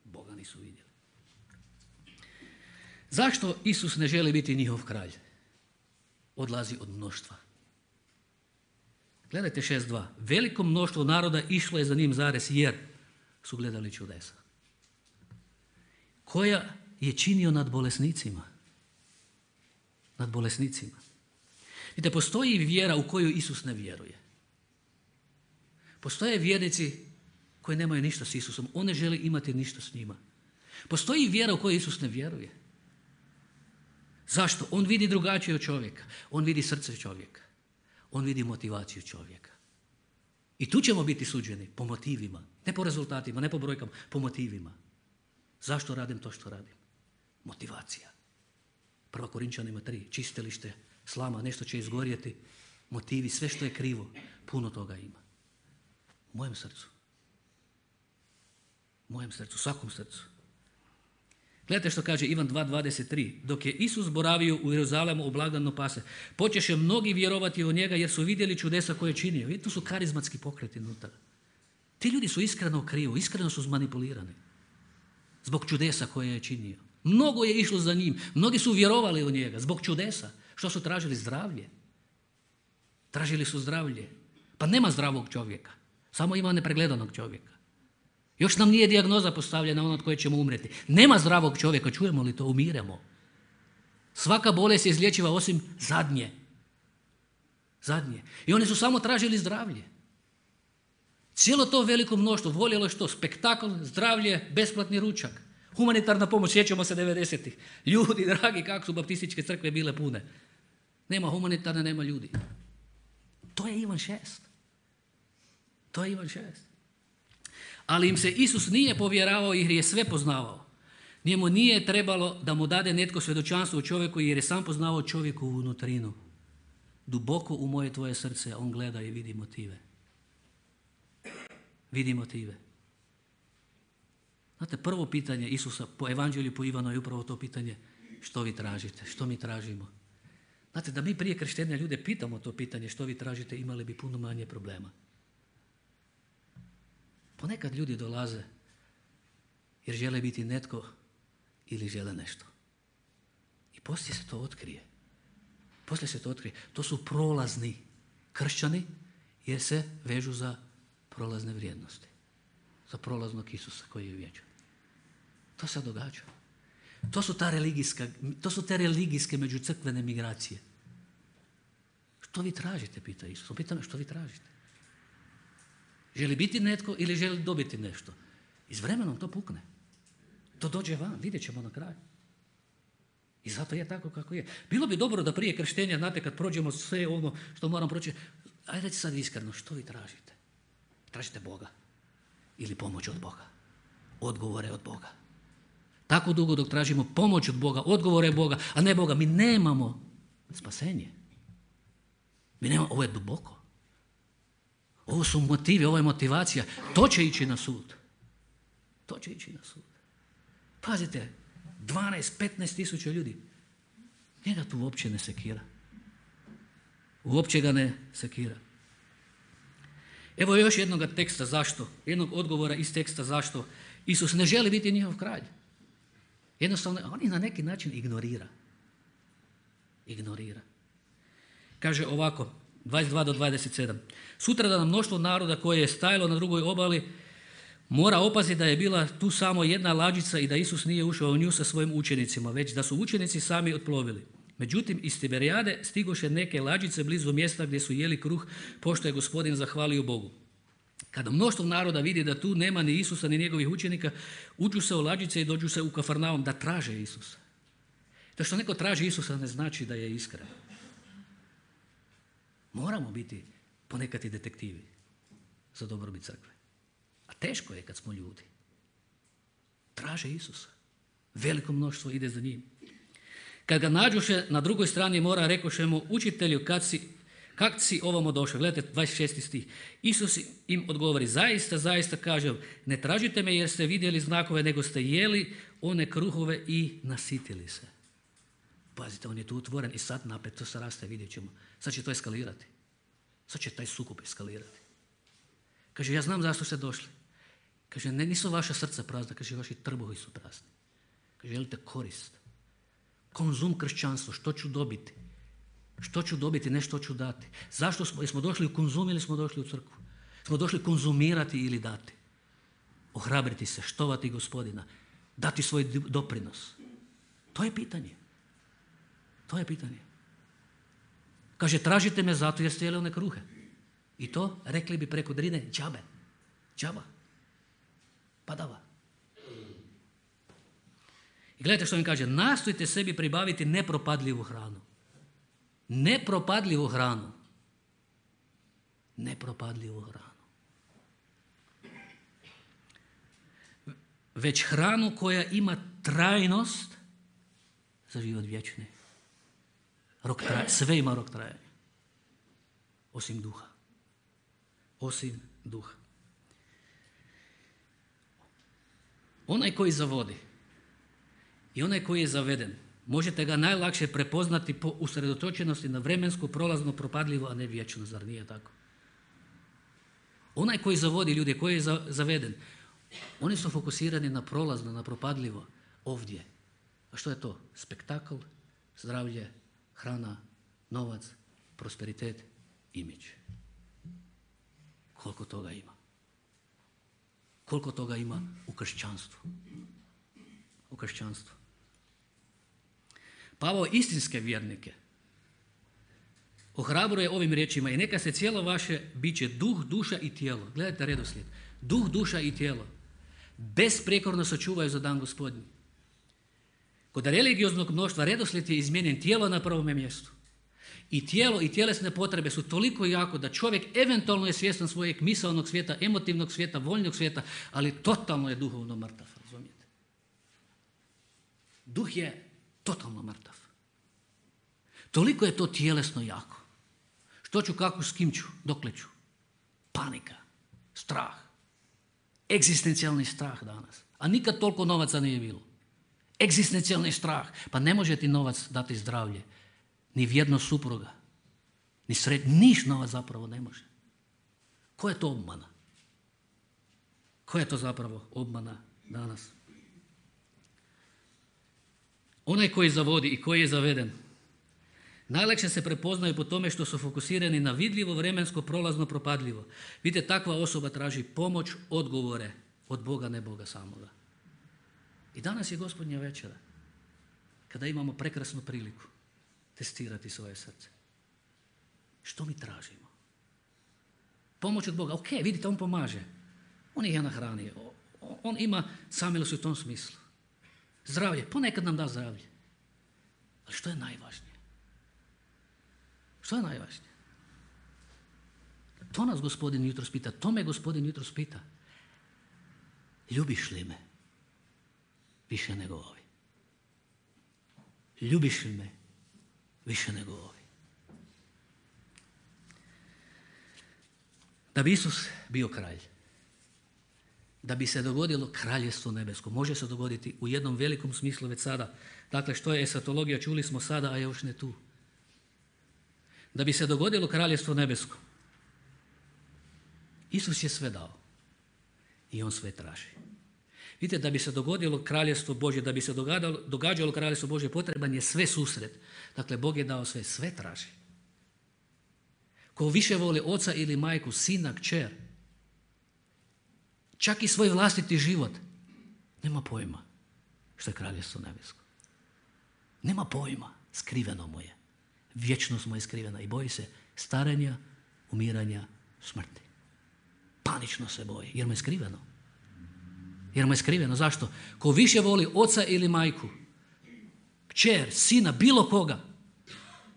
Boga nisu vidjeli. Zašto Isus ne želi biti njihov kralj? Odlazi od mnoštva. Gledajte šest dva. Veliko mnoštvo naroda išlo je za njim zares jer su gledali čudesa. Koja je činio nad bolesnicima. Nad bolesnicima. Vidite, postoji vjera u koju Isus ne vjeruje. Postoje vjernici koji nemaju ništa s Isusom. On ne želi imati ništa s njima. Postoji vjera u koju Isus ne vjeruje. Zašto? On vidi drugačije od čovjeka. On vidi srce čovjeka. On vidi motivaciju čovjeka. I tu ćemo biti suđeni po motivima. Ne po rezultatima, ne po brojkama, po motivima. Zašto radim to što radim? Motivacija. Prva Korinčanima tri. Čistilište, slama, nešto će izgorjeti. Motivi, sve što je krivo. Puno toga ima. U mojem srcu. U mojem srcu, svakom srcu. Gledajte što kaže Ivan dva dvadeset tri. Dok je Isus boravio u Jeruzalemu u blagdanu Pase, počeše mnogi vjerovati u njega jer su vidjeli čudesa koje je činio. Vidite, tu su karizmatski pokreti unutra. Ti ljudi su iskreno krivo, iskreno su zmanipulirani. Zbog čudesa koje je činio. Mnogo je išlo za njim. Mnogi su vjerovali u njega zbog čudesa. Što su tražili? Zdravlje. Tražili su zdravlje. Pa nema zdravog čovjeka. Samo ima nepregledanog čovjeka. Još nam nije dijagnoza postavljena ono od koje ćemo umreti. Nema zdravog čovjeka, čujemo li to, umiremo. Svaka bolest je izlječiva osim zadnje. Zadnje. I oni su samo tražili zdravlje. Cijelo to veliko mnoštvo voljelo što? Spektakl, zdravlje, besplatni ručak. Humanitarna pomoć, sjećamo se devedesetih. Ljudi, dragi, kako su baptističke crkve bile pune. Nema humanitarne, nema ljudi. To je Ivan šest. To je Ivan šest. Ali im se Isus nije povjeravao jer je sve poznavao. Njemu nije trebalo da mu dade netko svjedočanstvo u čovjeku jer je sam poznavao čovjeku u unutrinu. duboko u moje tvoje srce, on gleda i vidi motive. Vidi motive. Znate, prvo pitanje Isusa po evanđelju po Ivanu je upravo to pitanje što vi tražite, što mi tražimo. Znate, da mi prije krštenja ljude pitamo to pitanje što vi tražite, imali bi puno manje problema. Ponekad ljudi dolaze jer žele biti netko ili žele nešto. I poslije se to otkrije. Poslije se to otkrije. To su prolazni kršćani jer se vežu za prolazne vrijednosti. Za prolaznog Isusa koji je vječan. To se događa. To su, ta religijska, to su te religijske međucrkvene migracije. Što vi tražite, pita Isus. On pita me što vi tražite. Želi biti netko ili želi dobiti nešto. I s vremenom to pukne. To dođe van, vidjet ćemo na kraju. I zato je tako kako je. Bilo bi dobro da prije krštenja, znate, kad prođemo sve ono što moram proći, ajde recite sad iskreno, što vi tražite? Tražite Boga ili pomoć od Boga? Odgovore od Boga. Tako dugo dok tražimo pomoć od Boga, odgovore Boga, a ne Boga, mi nemamo spasenje. Mi nemamo, ovo je duboko. Ovo su motivi, ovo je motivacija. To će ići na sud. To će ići na sud. Pazite, dvanaest, petnaest tisuća ljudi. Njega tu uopće ne sekira. Uopće ga ne sekira. Evo još jednog teksta zašto, jednog odgovora iz teksta zašto Isus ne želi biti njihov kralj. Jednostavno, on ih na neki način ignorira. Ignorira. Kaže ovako, dvadeset dva do dvadeset sedam. Sutra da nam mnoštvo naroda koje je stajalo na drugoj obali mora opaziti da je bila tu samo jedna lađica i da Isus nije ušao u nju sa svojim učenicima, već da su učenici sami otplovili. Međutim, iz Tiberijade stigoše neke lađice blizu mjesta gdje su jeli kruh, pošto je Gospodin zahvalio Bogu. Kada mnoštvo naroda vidi da tu nema ni Isusa ni njegovih učenika, uđu se u lađice i dođu se u Kafarnaum da traže Isusa. To što neko traži Isusa ne znači da je iskren. Moramo biti ponekad i detektivi za dobrobit crkve. A teško je kad smo ljudi. Traže Isusa. Veliko mnoštvo ide za njim. Kad ga nađoše na drugoj strani mora, rekoše mu, učitelju, kad si, kak si ovamo došao? Gledajte, dvadeset šesti stih. Isus im odgovori, zaista, zaista kažem, ne tražite me jer ste vidjeli znakove, nego ste jeli one kruhove i nasitili se. Pazite, on je tu otvoren i sad napet to se raste, vidjet ćemo. Sad će to eskalirati. Sad će taj sukob eskalirati. Kaže, ja znam zašto ste došli. Kaže, ne, nisu vaša srca prazna, kaže, vaši trbuhi su prazni. Kaže, želite korist. Konzum kršćanstvo, što ću dobiti? Što ću dobiti, ne što ću dati. Zašto smo, smo došli u konzum ili smo došli u crkvu? Smo došli konzumirati ili dati. Ohrabriti se, štovati Gospodina, dati svoj doprinos. To je pitanje. To je pitanje. Kaže, tražite me zato jer ste jeli one kruhe. I to, rekli bi preko Drine, džabe. Džaba. Padava. I gledajte što mi kaže, nastojte sebi pribaviti nepropadljivu hranu. Nepropadljivu hranu. Nepropadljivu hranu. Već hranu koja ima trajnost za život vječni. Rok traja, sve ima rok trajanja. Osim duha. Osim duha. Onaj koji zavodi i onaj koji je zaveden, možete ga najlakše prepoznati po usredotočenosti na vremensko, prolazno, propadljivo, a ne vječno, zar nije tako? Onaj koji zavodi ljude, koji je zaveden, oni su fokusirani na prolazno, na propadljivo, ovdje. A što je to? Spektakl, zdravlje, hrana, novac, prosperitet, imidž. Koliko toga ima? Koliko toga ima u kršćanstvu? U kršćanstvu. Pavao istinske vjernike ohrabruje ovim riječima i neka se cijelo vaše biće duh, duša i tijelo. Gledajte redoslijed. Duh, duša i tijelo besprijekorno sačuvaju za dan Gospodnji. Kod religioznog mnoštva redoslijed je izmijenjen, tijelo na prvome mjestu. I tijelo i tjelesne potrebe su toliko jako da čovjek eventualno je svjestan svojeg misaonog svijeta, emotivnog svijeta, voljnog svijeta, ali totalno je duhovno mrtav, razumijete? Duh je totalno mrtav. Toliko je to tjelesno jako. Što ću, kako, s kim ću, dokle ću? Panika, strah, egzistencijalni strah danas. A nikad toliko novaca nije bilo. Egzistencijalni strah. Pa ne može ti novac dati zdravlje. Ni vjernost supruga. Ni sred... Niš novac zapravo ne može. Koja je to obmana? Koja je to zapravo obmana danas? Onaj koji zavodi i koji je zaveden najlakše se prepoznaju po tome što su fokusirani na vidljivo, vremensko, prolazno, propadljivo. Vidite, takva osoba traži pomoć, odgovore od Boga, ne Boga samoga. I danas je Gospodnja večera, kada imamo prekrasnu priliku testirati svoje srce. Što mi tražimo? Pomoć od Boga. Ok, vidite, on pomaže. On je nahranio. On ima samilost u tom smislu. Zdravlje. Ponekad nam da zdravlje. Ali što je najvažnije? Što je najvažnije? To nas Gospodin jutros pita. To me Gospodin jutros pita. Ljubiš li me više nego ovi? Ljubiš li me više nego ovi? Da bi Isus bio kralj, da bi se dogodilo kraljestvo nebesko, može se dogoditi u jednom velikom smislu već sada. Dakle, što je esatologija, čuli smo sada, a još ne tu. Da bi se dogodilo kraljestvo nebesko, Isus je sve dao i on sve traži. Vidite, da bi se dogodilo kraljestvo Božje, da bi se događalo, događalo kraljestvo Božje, potreban je sve susret. Dakle, Bog je dao sve, sve traži. Ko više voli oca ili majku, sina, kćer, čak i svoj vlastiti život, nema pojma što je kraljestvo nebesko. Nema pojma, skriveno mu je. Vječnost mu je skrivena i boji se starenja, umiranja, smrti. Panično se boji, jer mu je skriveno. Jer mu je skriveno. Zašto? Ko više voli oca ili majku, kćer, sina, bilo koga,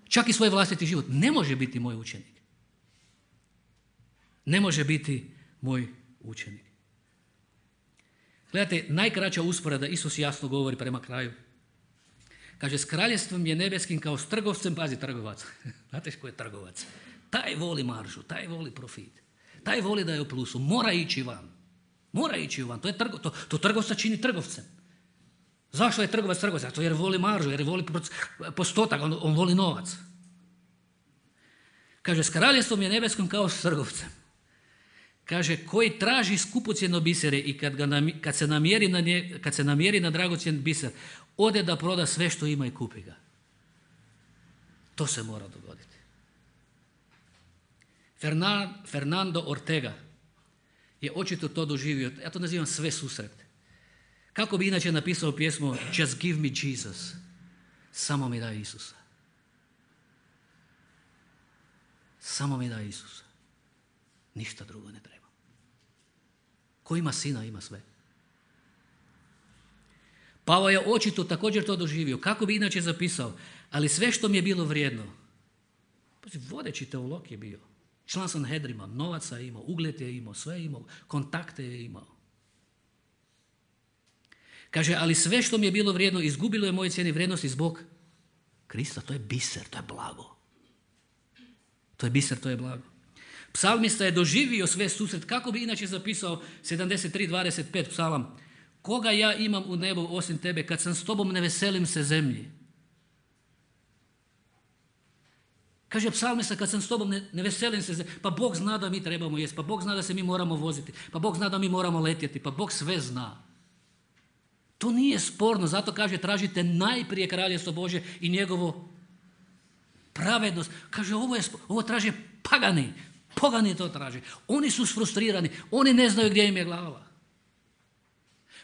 čak i svoj vlastiti život, ne može biti moj učenik. Ne može biti moj učenik. Gledajte, najkraća usporeda, Isus jasno govori prema kraju. Kaže, s kraljevstvom je nebeskim kao s trgovcem, pazi, trgovac. Znate ko je trgovac? Taj voli maržu, taj voli profit. Taj voli da je u plusu, mora ići van. Mora ići van, to, je trgo, to, to trgovca čini trgovcem. Zašto je trgovac trgovac? Zato jer voli maržu, jer voli postotak, on, on voli novac. Kaže, s kraljevstvom je nebeskom kao s trgovcem. Kaže, koji traži skupocjeno bisere i kad, ga nam, kad, se namjeri na nje, kad se namjeri na dragocjen biser, ode da proda sve što ima i kupi ga. To se mora dogoditi. Fernando Ortega je očito to doživio. Ja to nazivam sve susrete. Kako bi inače napisao pjesmu Just give me Jesus. Samo mi daj Isusa. Samo mi daj Isusa. Ništa drugo ne treba. Ko ima sina, ima sve. Pavao je očito također to doživio. Kako bi inače zapisao? Ali sve što mi je bilo vrijedno. Vodeći teolog je bio. Član Sanhedrima, novaca je imao, ugled je imao, sve je imao, kontakte je imao. Kaže, ali sve što mi je bilo vrijedno, izgubilo je moje cijene vrijednosti zbog Krista. To je biser, to je blago. To je biser, to je blago. Psalmista je doživio sve susret. Kako bi inače zapisao sedamdeset tri dvadeset pet psalam? Koga ja imam u nebu osim tebe? Kad sam s tobom ne veselim se zemlji. Kaže psalmista, kad sam s tobom ne, ne veselim se zemlji. Pa Bog zna da mi trebamo jesti. Pa Bog zna da se mi moramo voziti. Pa Bog zna da mi moramo letjeti. Pa Bog sve zna. To nije sporno. Zato kaže, tražite najprije kraljestvo Božje i njegovo pravednost. Kaže, ovo, je, ovo traže pagani. Pogani to traže. Oni su sfrustrirani. Oni ne znaju gdje im je glava.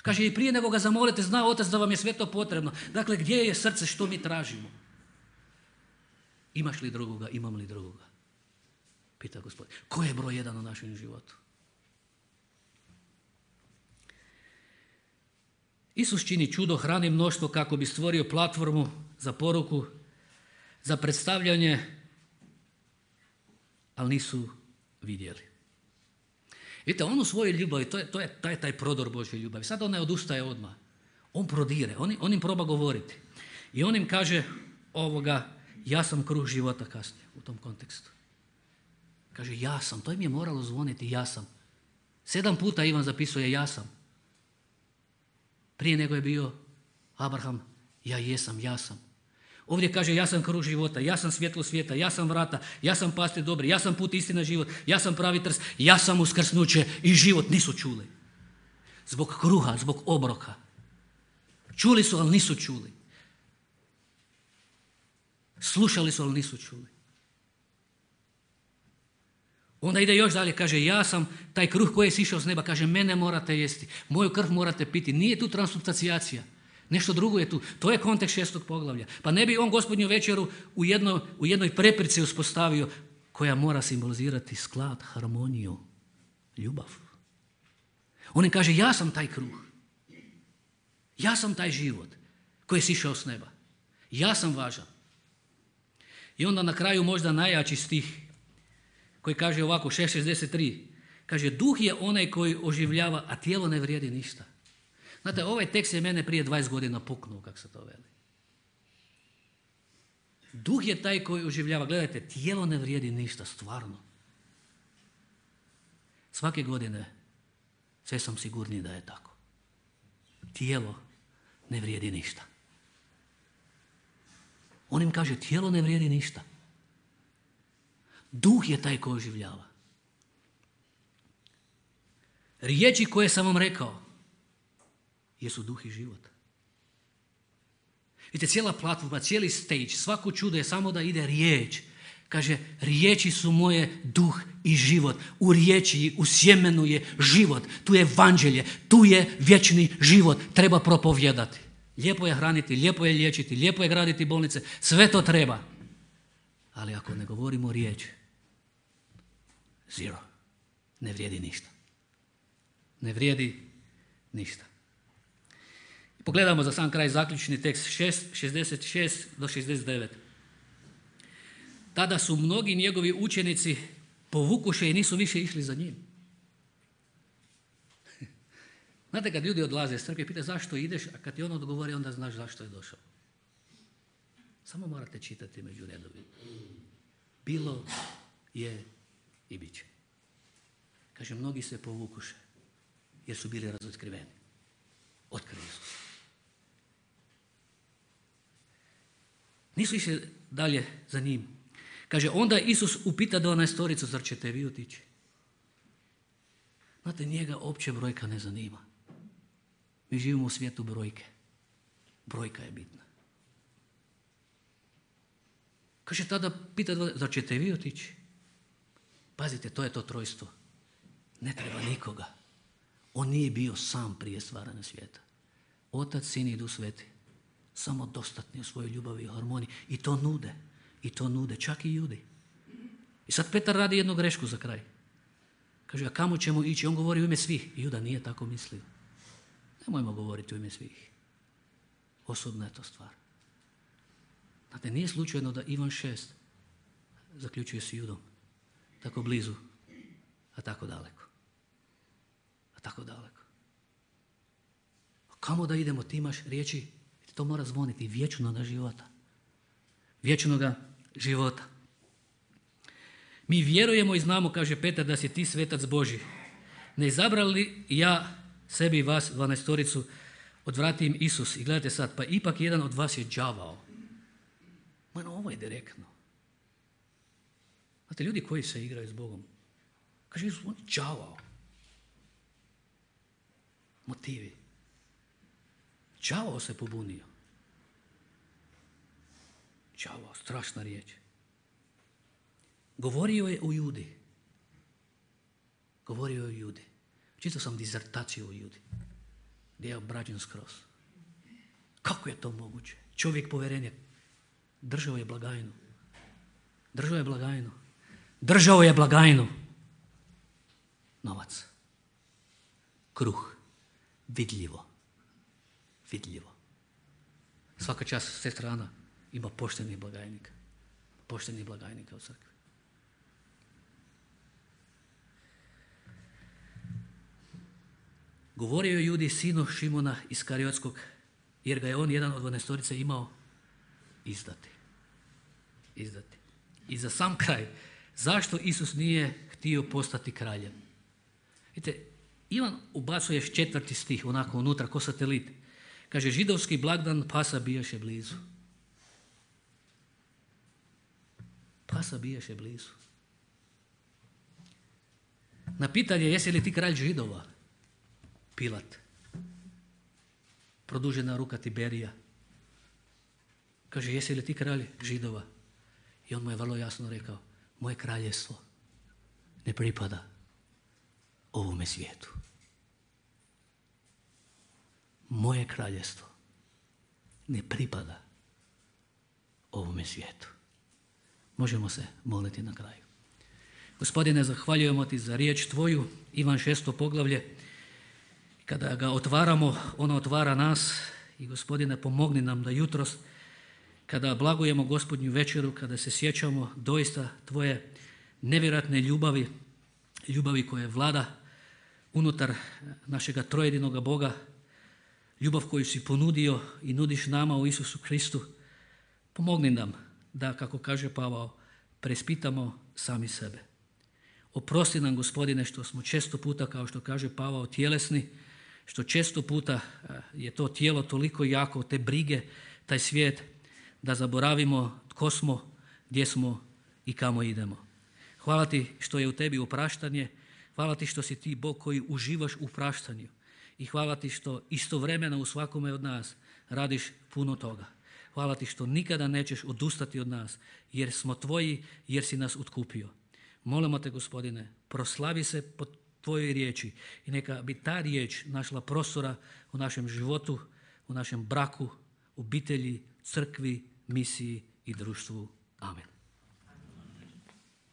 Kaže, i prije nego ga zamolite, zna Otac da vam je sve to potrebno. Dakle, gdje je srce, što mi tražimo? Imaš li drugoga, imam li drugoga? Pita Gospodin. Ko je broj jedan u našem životu? Isus čini čudo, hrani mnoštvo kako bi stvorio platformu za poruku, za predstavljanje, ali nisu vidjeli. Vidite, on u svojoj ljubavi, to je, to je taj, taj prodor Božje ljubavi. Sad on ne odustaje odmah. On prodire, on, on im proba govoriti. I on im kaže ovoga, ja sam kruh života kasnije u tom kontekstu. Kaže, ja sam. To im je moralo zvoniti, ja sam. Sedam puta Ivan zapisuje, ja sam. Prije nego je bio Abraham, ja jesam, ja sam. Ovdje kaže, ja sam kruh života, ja sam svjetlo svijeta, ja sam vrata, ja sam pastir dobri, ja sam put, istina, život, ja sam pravi trst, ja sam uskrsnuće i život. Nisu čuli. Zbog kruha, zbog obroka. Čuli su, ali nisu čuli. Slušali su, ali nisu čuli. Onda ide još dalje, kaže, ja sam taj kruh koji je sišao s neba, kaže, mene morate jesti, moju krv morate piti. Nije tu transubstancijacija. Nešto drugo je tu. To je kontekst šestog poglavlja. Pa ne bi on gospodnju večeru u, jedno, u jednoj preprici uspostavio koja mora simbolizirati sklad, harmoniju, ljubav. On im kaže, ja sam taj kruh. Ja sam taj život koji je sišao s neba. Ja sam važan. I onda na kraju možda najjači stih koji kaže ovako, šest šezdeset tri. Kaže, duh je onaj koji oživljava, a tijelo ne vrijedi ništa. Znate, ovaj tekst je mene prije dvadeset godina puknuo, kako se to veli. Duh je taj koji oživljava. Gledajte, tijelo ne vrijedi ništa, stvarno. Svake godine sve sam sigurniji da je tako. Tijelo ne vrijedi ništa. On im kaže, tijelo ne vrijedi ništa. Duh je taj koji oživljava. Riječi koje sam vam rekao jesu duh i život. Vidite, cijela platforma, cijeli stage, svako čudo je samo da ide riječ. Kaže, riječi su moje duh i život. U riječi, u sjemenu je život. Tu je evanđelje, tu je vječni život. Treba propovijedati. Lijepo je hraniti, lijepo je liječiti, lijepo je graditi bolnice. Sve to treba. Ali ako ne govorimo riječ, zero. Ne vrijedi ništa. Ne vrijedi ništa. Pogledamo za sam kraj zaključni tekst šezdeset šest do šezdeset devet. Tada su mnogi njegovi učenici povukuše i nisu više išli za njim. Znate, kad ljudi odlaze iz crkve, pita zašto ideš, a kad ti on odgovori, onda znaš zašto je došao. Samo morate čitati među redovima. Bilo je i bit će. Kaže, mnogi se povukuše jer su bili razotkriveni. Otkrili su. Nisu išli dalje za njim. Kaže, onda Isus upita dvanaestoricu, zar ćete vi otići? Znate, njega opće brojka ne zanima. Mi živimo u svijetu brojke. Brojka je bitna. Kaže, tada pita, zar ćete vi otići? Pazite, to je to trojstvo. Ne treba nikoga. On nije bio sam prije stvaranja svijeta. Otac, Sin i Duh Sveti. Samo dostatni u svojoj ljubavi i harmoniji. I to nude. I to nude. Čak i Judi. I sad Petar radi jednu grešku za kraj. Kaže, a kamo ćemo ići? On govori u ime svih. I Juda nije tako mislio. Nemojmo govoriti u ime svih. Osobna je to stvar. Znate, nije slučajno da Ivan šest zaključuje s Judom. Tako blizu, a tako daleko. A tako daleko. A kamo da idemo? Ti imaš riječi, to mora zvoniti vječnoga života. Vječnoga života. Mi vjerujemo i znamo, kaže Petar, da si ti svetac Božji. Ne izabrali ja sebi i vas, dvanaestoricu, odvrati im Isus. I gledajte sad, pa ipak jedan od vas je đavao. Ma no, ovo je direktno. Znate, ljudi koji se igraju s Bogom, kaže Isus, on je đavao. Motivi. Đavao se pobunio. Đavao, strašna riječ. Govorio je o Judi. Govorio je o Judi. Čitao sam dizertaciju o Judi. Gdje je obrađen skroz. Kako je to moguće? Čovjek povjerenja. Držao je blagajnu. Držao je blagajnu. Držao je blagajnu. Novac. Kruh. Vidljivo. Vidljivo. Svaka čast sestra Ana ima poštenih blagajnika. Poštenih blagajnika u crkvi. Govorio je Judi, sinu Šimona Iskariotskog, jer ga je on, jedan od dvanaestorice, imao izdati. Izdati. I za sam kraj, Zašto Isus nije htio postati kraljem? Vidite, Ivan ubacuje još četvrti stih, onako unutra, ko satelit. Kaže, židovski blagdan Pasa bijaše blizu. Pasa bijaše blizu. Na pitanje, jesi li ti kralj Židova? Pilat. Produžena ruka Tiberija. Kaže, jesi li ti kralj Židova? I on mu je vrlo jasno rekao, moje kraljestvo ne pripada ovome svijetu. Moje kraljestvo ne pripada ovome svijetu. Možemo se moliti na kraju. Gospodine, zahvaljujemo ti za riječ tvoju, Ivan šesto poglavlje. Kada ga otvaramo, ono otvara nas i Gospodine, pomogni nam da jutros, kada blagujemo Gospodnju večeru, kada se sjećamo doista tvoje nevjerojatne ljubavi, ljubavi koje vlada unutar našega trojedinoga Boga, ljubav koju si ponudio i nudiš nama u Isusu Kristu, pomogni nam da, kako kaže Pavao, preispitamo sami sebe. Oprosti nam, Gospodine, što smo često puta, kao što kaže Pavao, tjelesni, što često puta je to tijelo toliko jako, te brige, taj svijet, da zaboravimo tko smo, gdje smo i kamo idemo. Hvala ti što je u tebi opraštanje, hvala ti što si ti Bog koji uživaš u praštanju i hvala ti što istovremeno u svakome od nas radiš puno toga. Hvala ti što nikada nećeš odustati od nas, jer smo tvoji, jer si nas otkupio. Molimo te, Gospodine, proslavi se po tvojoj riječi i neka bi ta riječ našla prostora u našem životu, u našem braku, obitelji, crkvi, misiji i društvu. Amen.